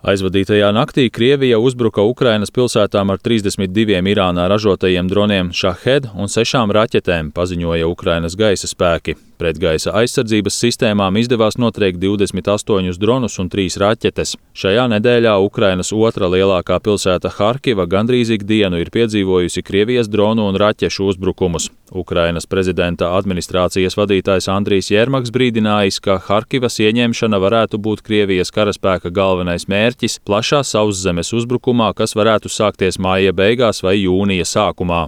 Aizvadītajā naktī Krievija uzbruka Ukrainas pilsētām ar 32 Irānā ražotajiem droniem Shahed un 6 raķetēm, paziņoja Ukrainas gaisa spēki. Pretgaisa aizsardzības sistēmām izdevās notriekt 28 dronus un 3 raķetes. Šajā nedēļā Ukrainas otra lielākā pilsēta Harkiva gandrīz ikdienu ir piedzīvojusi Krievijas dronu un raķešu uzbrukumus. Ukrainas prezidenta administrācijas vadītājs Andrijs Jermaks brīdinājis, ka Harkivas ieņemšana varētu būt Krievijas karaspēka galvenais mērķis plašā sauszemes uzbrukumā, kas varētu sākties māja beigās vai jūnija sākumā.